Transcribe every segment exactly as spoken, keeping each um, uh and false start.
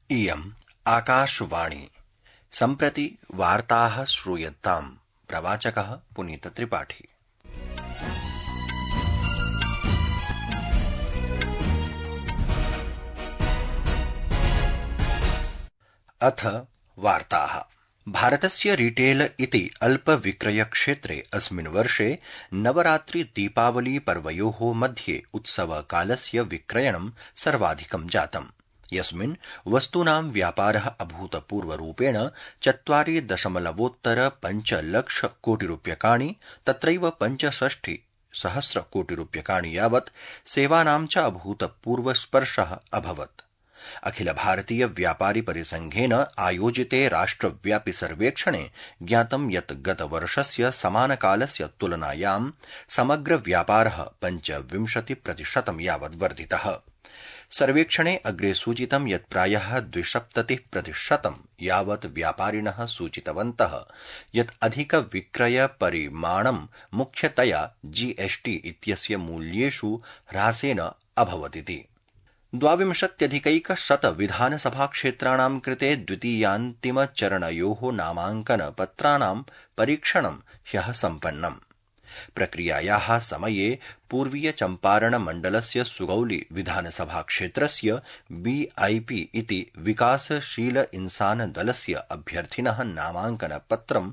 इयम् आकाशवाणी। सम्प्रति वार्ताः श्रूयन्ताम्। प्रवाचकः पुनीत त्रिपाठी। अथ वार्ताः। भारतस्य रिटेल इति अल्पविक्रयक्षेत्रे अस्मिन् वर्षे नवरात्रि दीपावली पर्वयोः मध्ये उत्सवकालस्य विक्रयणं सर्वाधिकं जातम्, यस्मिन् वस्तूनां व्यापारः अभूतपूर्वरूपेण चत्वारि दशमलवोत्तर पञ्चलक्ष कोटिरूप्यकाणि, तत्रैव पञ्चषष्टि सहस्रकोटिरूप्यकाणि यावत् सेवानां च अभूतपूर्वस्पर्शः अभवत्। अखिल भारतीय व्यापारि परिसंघेन आयोजिते राष्ट्रव्यापि सर्वेक्षणे ज्ञातं यत् गतवर्षस्य समानकालस्य तुलनायां समग्र व्यापारः पञ्चविंशति प्रतिशतं यावत् वर्धितः। सर्वेक्षणे अग्रे सूचितं यत् प्रायः द्विसप्ततिः प्रतिशतं यावत् व्यापारिणः सूचितवन्तः यत् अधिकविक्रयपरिमाणं मुख्यतया जीएसटी इत्यस्य मूल्येषु ह्रासेन अभवदिति। द्वाविंशत्यधिकैकशत विधानसभाक्षेत्राणां कृते द्वितीयान्तिमचरणयोः नामाङ्कनपत्राणां परीक्षणं ह्यः सम्पन्नम्। प्रक्रियायाः समये पूर्वीय चम्पारण मण्डलस्य सुगौली विधानसभाक्षेत्रस्य बीआईपी इति विकासशील इंसान दलस्य अभ्यर्थिनः नामाङ्कनपत्रं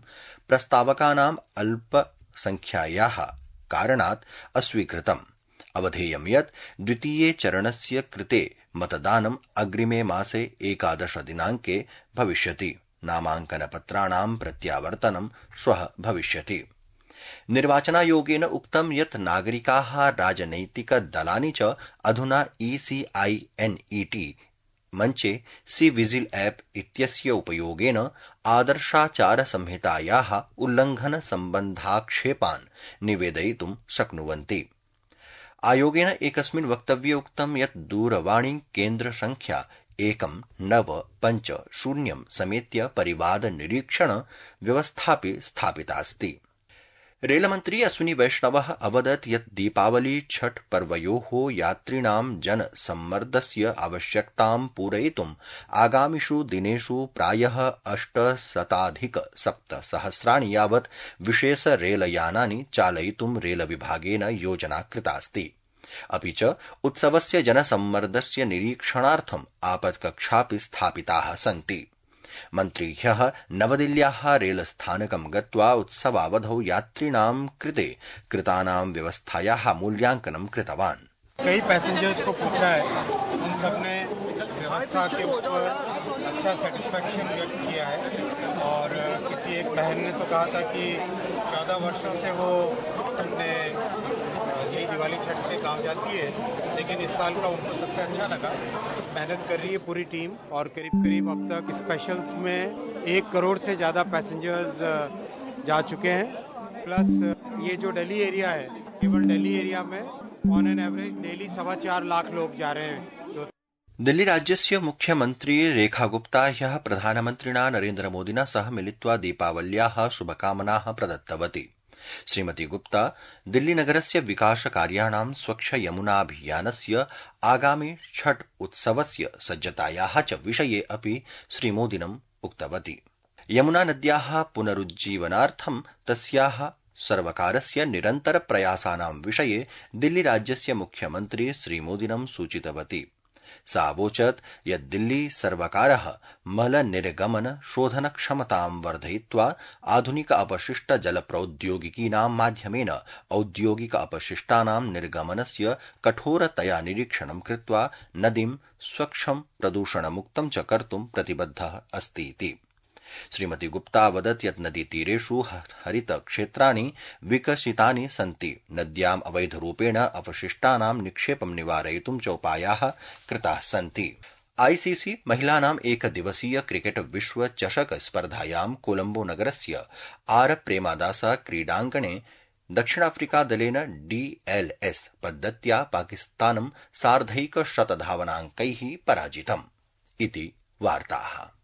प्रस्तावकानाम् अल्पसंख्यायाः कारणात् अस्वीकृतम्। अवधेयं यत् द्वितीये चरणस्य कृते मतदानम् अग्रिमे मासे एकादश दिनाङ्के भविष्यति। नामाङ्कनपत्राणां प्रत्यावर्तनं श्वः भविष्यति। निर्वाचनायोगेन उक्तं यत् नागरिकाः राजनैतिकदलानि च अधुना ईसीआईएनईटी मञ्चे सी विजिल ऐप इत्यस्य उपयोगेन आदर्शाचारसंहितायाः उल्लङ्घनसम्बन्धाक्षेपान् निवेदयितुं शक्नुवन्ति। आयोगेन एकस्मिन् वक्तव्ये उक्तं यत् दूरवाणी केन्द्रसंख्या एकं नव पञ्च शून्यं समेत्य परिवाद निरीक्षण व्यवस्थापि स्थापितास्ति। रेलमन्त्री अश्विनी वैष्णवः अवदत् यत् दीपावली छठ पर्वयोः यात्रिणां जनसम्मर्दस्य आवश्यकतां पूरयितुम् आगामिषु दिनेषु प्रायः अष्टशताधिक सप्तसहस्राणि यावत् विशेष रेलयानानि चालयितुं रेलविभागेन योजना कृतास्ति। अपि च उत्सवस्य जनसम्मर्दस्य निरीक्षणार्थम् आपत्कक्षापि स्थापिताः सन्ति। मन्त्री ह्यः नवदिल्ल्याः रेलस्थानकं गत्वा उत्सवावधौ यात्रिणां कृते कृतानां व्यवस्थायाः मूल्यांकनं कृतवान्। कई पैसेंजर्स को पूछा है, उन सबने व्यवस्था के ऊपर अच्छा सेटिस्फैक्शन व्यक्त किया है और किसी एक बहन ने तो कहा था कि चौदह वर्षों से वो अपने यही दिवाली छठ पे गाँव जाती है, लेकिन इस साल का उनको सबसे अच्छा लगा। मेहनत कर रही है पूरी टीम और करीब करीब अब तक स्पेशल्स में एक करोड़ से ज़्यादा पैसेंजर्स जा चुके हैं। प्लस ये जो दिल्ली एरिया है, केवल दिल्ली एरिया में ऑन एन एवरेज डेली सवा चार लाख लोग जा रहे हैं। दिल्ली राज्यस्य मुख्यमन्त्री रेखा गुप्ता ह्यः प्रधानमन्त्रिणा नरेन्द्र मोदिना सह मिलित्वा दीपावल्याः शुभकामनाः प्रदत्तवती। श्रीमती गुप्ता दिल्लीनगरस्य विकासकार्याणां स्वच्छ यमुनाभियानस्य आगामि छठ उत्सवस्य सज्जतायाः च विषये अपि श्रीमोदिनम् उक्तवती। यमुनानद्याः पुनरुज्जीवनार्थं तस्याः सर्वकारस्य निरन्तरप्रयासानां विषये दिल्लीराज्यस्य मुख्यमन्त्री श्रीमोदिनं सूचितवती। सा अवोचत् यत् दिल्ली सर्वकारः मलनिर्गमन शोधनक्षमतां वर्धयित्वा आधुनिक अपशिष्ट जलप्रौद्योगिकीनां माध्यमेन औद्योगिक अपशिष्टानां निर्गमनस्य कठोरतया निरीक्षणं कृत्वा नदीं स्वच्छं प्रदूषणमुक्तं च कर्तुं प्रतिबद्धः अस्तीति। श्रीमती गुप्ता वदत् यत् नदीतीरेषु हरितक्षेत्राणि विकसितानि सन्ति। नद्याम् अवैधरूपेण अपशिष्टानां निक्षेपं निवारयितुं च उपायाः कृताः सन्ति। आईसीसी महिलानाम् एकदिवसीय क्रिकेट विश्व चषक स्पर्धायां कोलम्बो नगरस्य आर प्रेमादासा क्रीडाङ्गणे दक्षिणाफ्रिकादलेन डीएलएस पद्धत्या पाकिस्तानं सार्धैकशतधावनाङ्कैः पराजितम् इति वार्ताः।